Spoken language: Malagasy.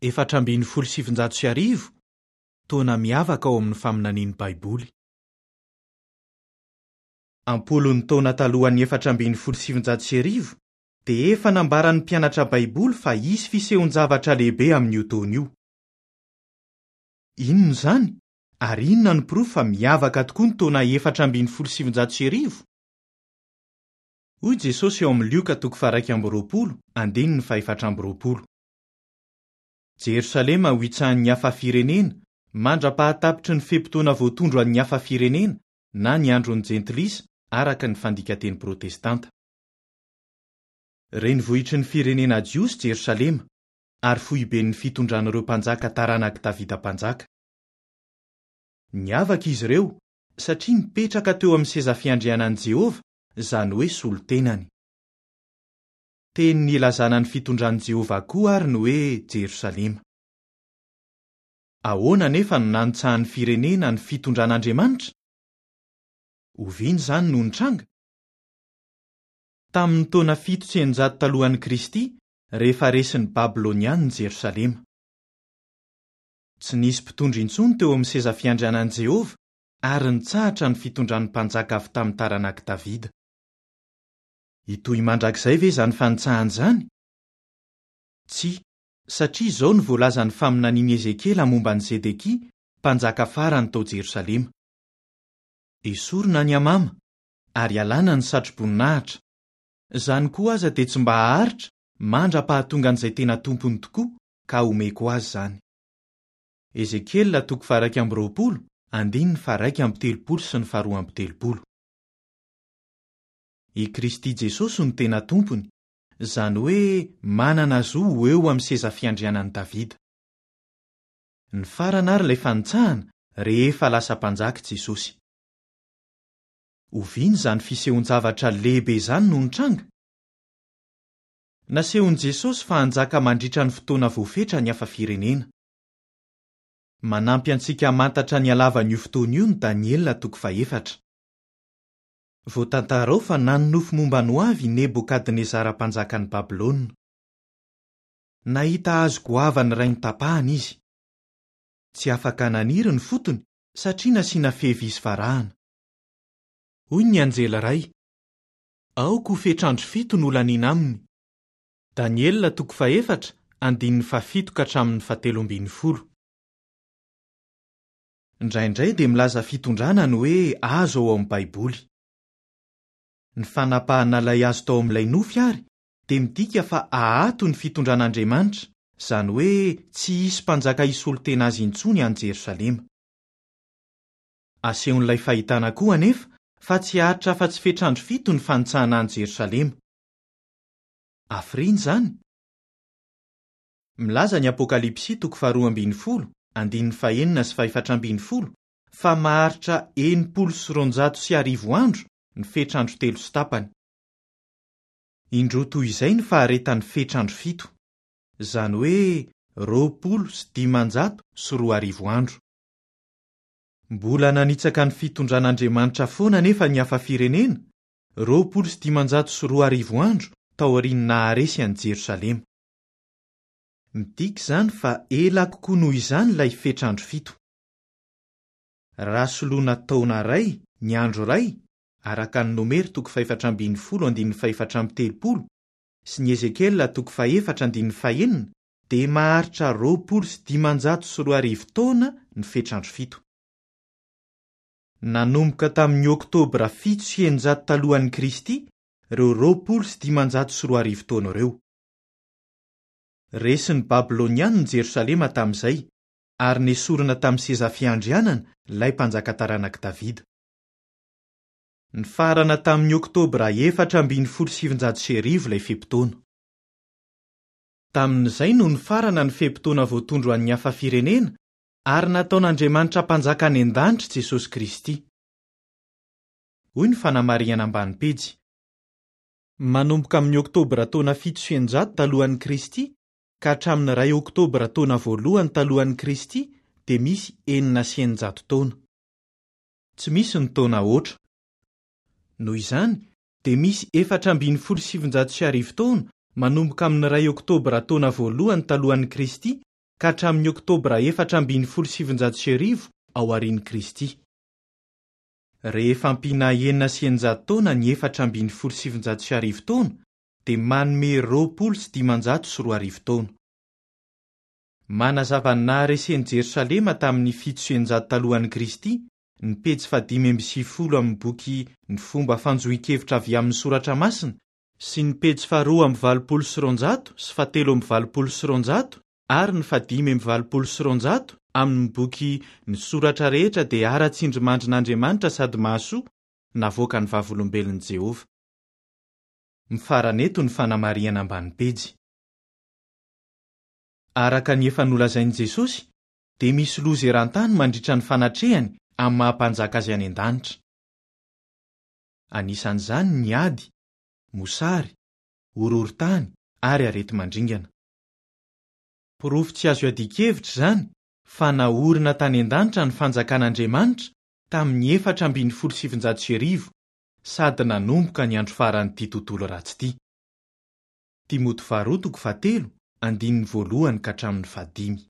1914, taona miavaka ao amin'ny faminanian'ny Baiboly. Am-polony taona talohan'ny 1914, dia efa nambaran'ny Mpianatra Baiboly fa hisy fisehon-javatra lehibe amin'io taona io. Inona izany, ary inona no porofo fa miavaka tokoa ny taona 1914? Hoy Jesosy ao amin'ny Lioka toko faha-21, andininy faha-24. Jerosalema ho hitsahan'ny hafa firenena, mandra-pahatapitry ny fe-potoana voatondro an'ny hafa firenena na ny andron'ny Jentilisa araka ny fandikan-teny protestanta. Renivohitry ny firenena jiosy Jerosalema, ary foiben'ny fitondran'ireo mpanjaka taranak'i Davida Mpanjaka. Niavaka izy ireo satria nipetraka teo amin'ny seza fiandrianan'i Jehovah, izany hoe solontenany. Teny nilazana ny fitondran'i Jehovah koa àry ny hoe Jerosalema. Ahoana anefa no nanitsahan'ny firenena ny fitondran'Andriamanitra? Oviana izany no nitranga? Tamin'ny taona 607 talohan'i Kristy, rehefa resin'ny Babylonianina i Jerosalema. Tsy nisy mpitondra intsony teo amin'ny seza fiandrianan'i Jehovah, ary nitsahatra ny fitondran'ny mpanjaka avy tamin'ny taranak'i Davida. Hitohy mandrakizay ve izany fanitsahana izany? Tsia, satria izao no voalazan'ny faminanian'i Ezekiela momba an'i Zedekia, mpanjaka farany tao Jerosalema, Esorina ny hamama, ary alana ny satroboninahitra. Izany koa aza dia tsy mba haharitra mandra-pahatongan'izay tena tompony tokoa, ka homeko azy izany. Ezekiela toko faha-21, andininy faha-31 sy ny faha-32. I Kristy Jesosy no tena Tompony, izany hoe manana zo ho eo amin'ny seza fiandrianan'i Davida. Nifarana àry ilay fanitsahana rehefa lasa Mpanjaka i Jesosy. Oviana izany fisehoan-javatra lehibe izany no nitranga? Nasehon'i Jesosy fa hanjaka mandritra ny fotoana voafetra ny hafa firenena. Manampy antsika hamantatra ny halavan'io fotoana io ny Daniela toko fahefatra. Voatantara ao fa nanonofy momba ny hoavy i Nebokadnezara mpanjakan'i Babylona. Nahita hazo goavana iray notapahana izy. Tsy afaka naniry ny fotony satria nasiana fehy vy sy varahana. Hoy ny anjely iray, Aoka ho fetr'andro fito no holaniana aminy. Daniela toko fahefatra, andininy fahafito ka hatramin'ny fahatelo ambin'ny folo. Indraindray dia milaza fitondrana ny hoe hazo ao amin'ny Baiboly. Ny fanapahana ilay hazo tao amin'ilay nofy àry dia midika fa haato ny fitondran'Andriamanitra, izany hoe tsy hisy mpanjaka hisolo tena azy intsony any Jerosalema. Asehon'ilay fahitana koa anefa fa tsy haharitra afa-tsy fetr'andro fito ny fanitsahana an'i Jerosalema. Hafiriana izany? Milaza ny Apokalypsy toko faharoa ambin'ny folo, andininy fahenina sy fahefatra ambin'ny folo fa maharitra 1260 andro ny fetr'andro telo sy tapany. Indroa toy izay ny faharetan'ny fetr'andro fito, izany hoe 2520 andro. Mbola nanitsaka ny fitondran'Andriamanitra foana anefa ny hafa firenena, 2520 andro taorian'ny naharesy an'i Jerosalema. Midika izany fa ela kokoa noho izany ilay fetr'andro fito. Raha soloina taona iray ny andro iray, araka ny Nomery toko fahefatra ambin'ny folo andininy fahefatra amby telopolo sy ny Ezekiela toko fahefatra andininy fahenina, dia maharitra 2520 taona ny fetr'andro fito. Nanomboka tamin'ny Oktobra 607 talohan'i Kristy ireo 2520 taona ireo. Resin'ny Babylonianina i Jerosalema tamin'izay, ary nesorina tamin'ny seza fiandrianana ilay mpanjaka taranak'i Davida. Nifarana tamin'ny Oktobra 1914 ilay fe-potoana. Tamin'izay no nifarana ny fe-potoana voatondro an'ny hafa firenena, ary nataon'Andriamanitra Mpanjaka any an-danitra i Jesosy Kristy. Hoy ny fanamarihana ambany pejy. Manomboka amin'ny Oktobra taona 607 talohan'i Kristy ka hatramin'ny iray Oktobra taona voalohany talohan'i Kristy dia misy 606 taona. Tsy misy ny taona aotra. Noho izany dia misy 1914 taona manomboka amin'ny iray Oktobra taona voalohany talohan'i Kristy ka hatramin'ny Oktobra 1914 aorian'i Kristy. Rehefa ampiana 606 taona ny 1914 taona dia manome 2520 taona. Manazava ny naharesen'i Jerosalema tamin'ny 607 talohan'i Kristy ny pejy fahadimy amby sivifolo amin'ny boky Ny Fomba Fanjohian-kevitra avy Amin'ny Soratra Masina sy ny pejy faha-282 sy faha-283 ary ny faha-285 amin'ny boky Ny Soratra Rehetra dia Ara-tsindrimandrin'Andriamanitra Sady Mahasoa, navoakan'ny Vavolombelon'i Jehovah. Mifarana eto ny fanamarihana ambany pejy. Araka ny efa nolazain'i Jesosy, dia misy loza eran-tany mandritra ny fanatrehany amin'ny maha-Mpanjaka azy any an-danitra. Anisan'izany ny ady, mosary, horohorontany ary areti-mandringana. Porofo tsy azo iadian-kevitra izany fa naorina tany an-danitra ny Fanjakan'Andriamanitra tamin'ny 1914 sady nanomboka ny andro faran'ity tontolo ratsy ity. Timoty Faharoa toko fahatelo, andininy voalohany ka hatramin'ny fahadimy.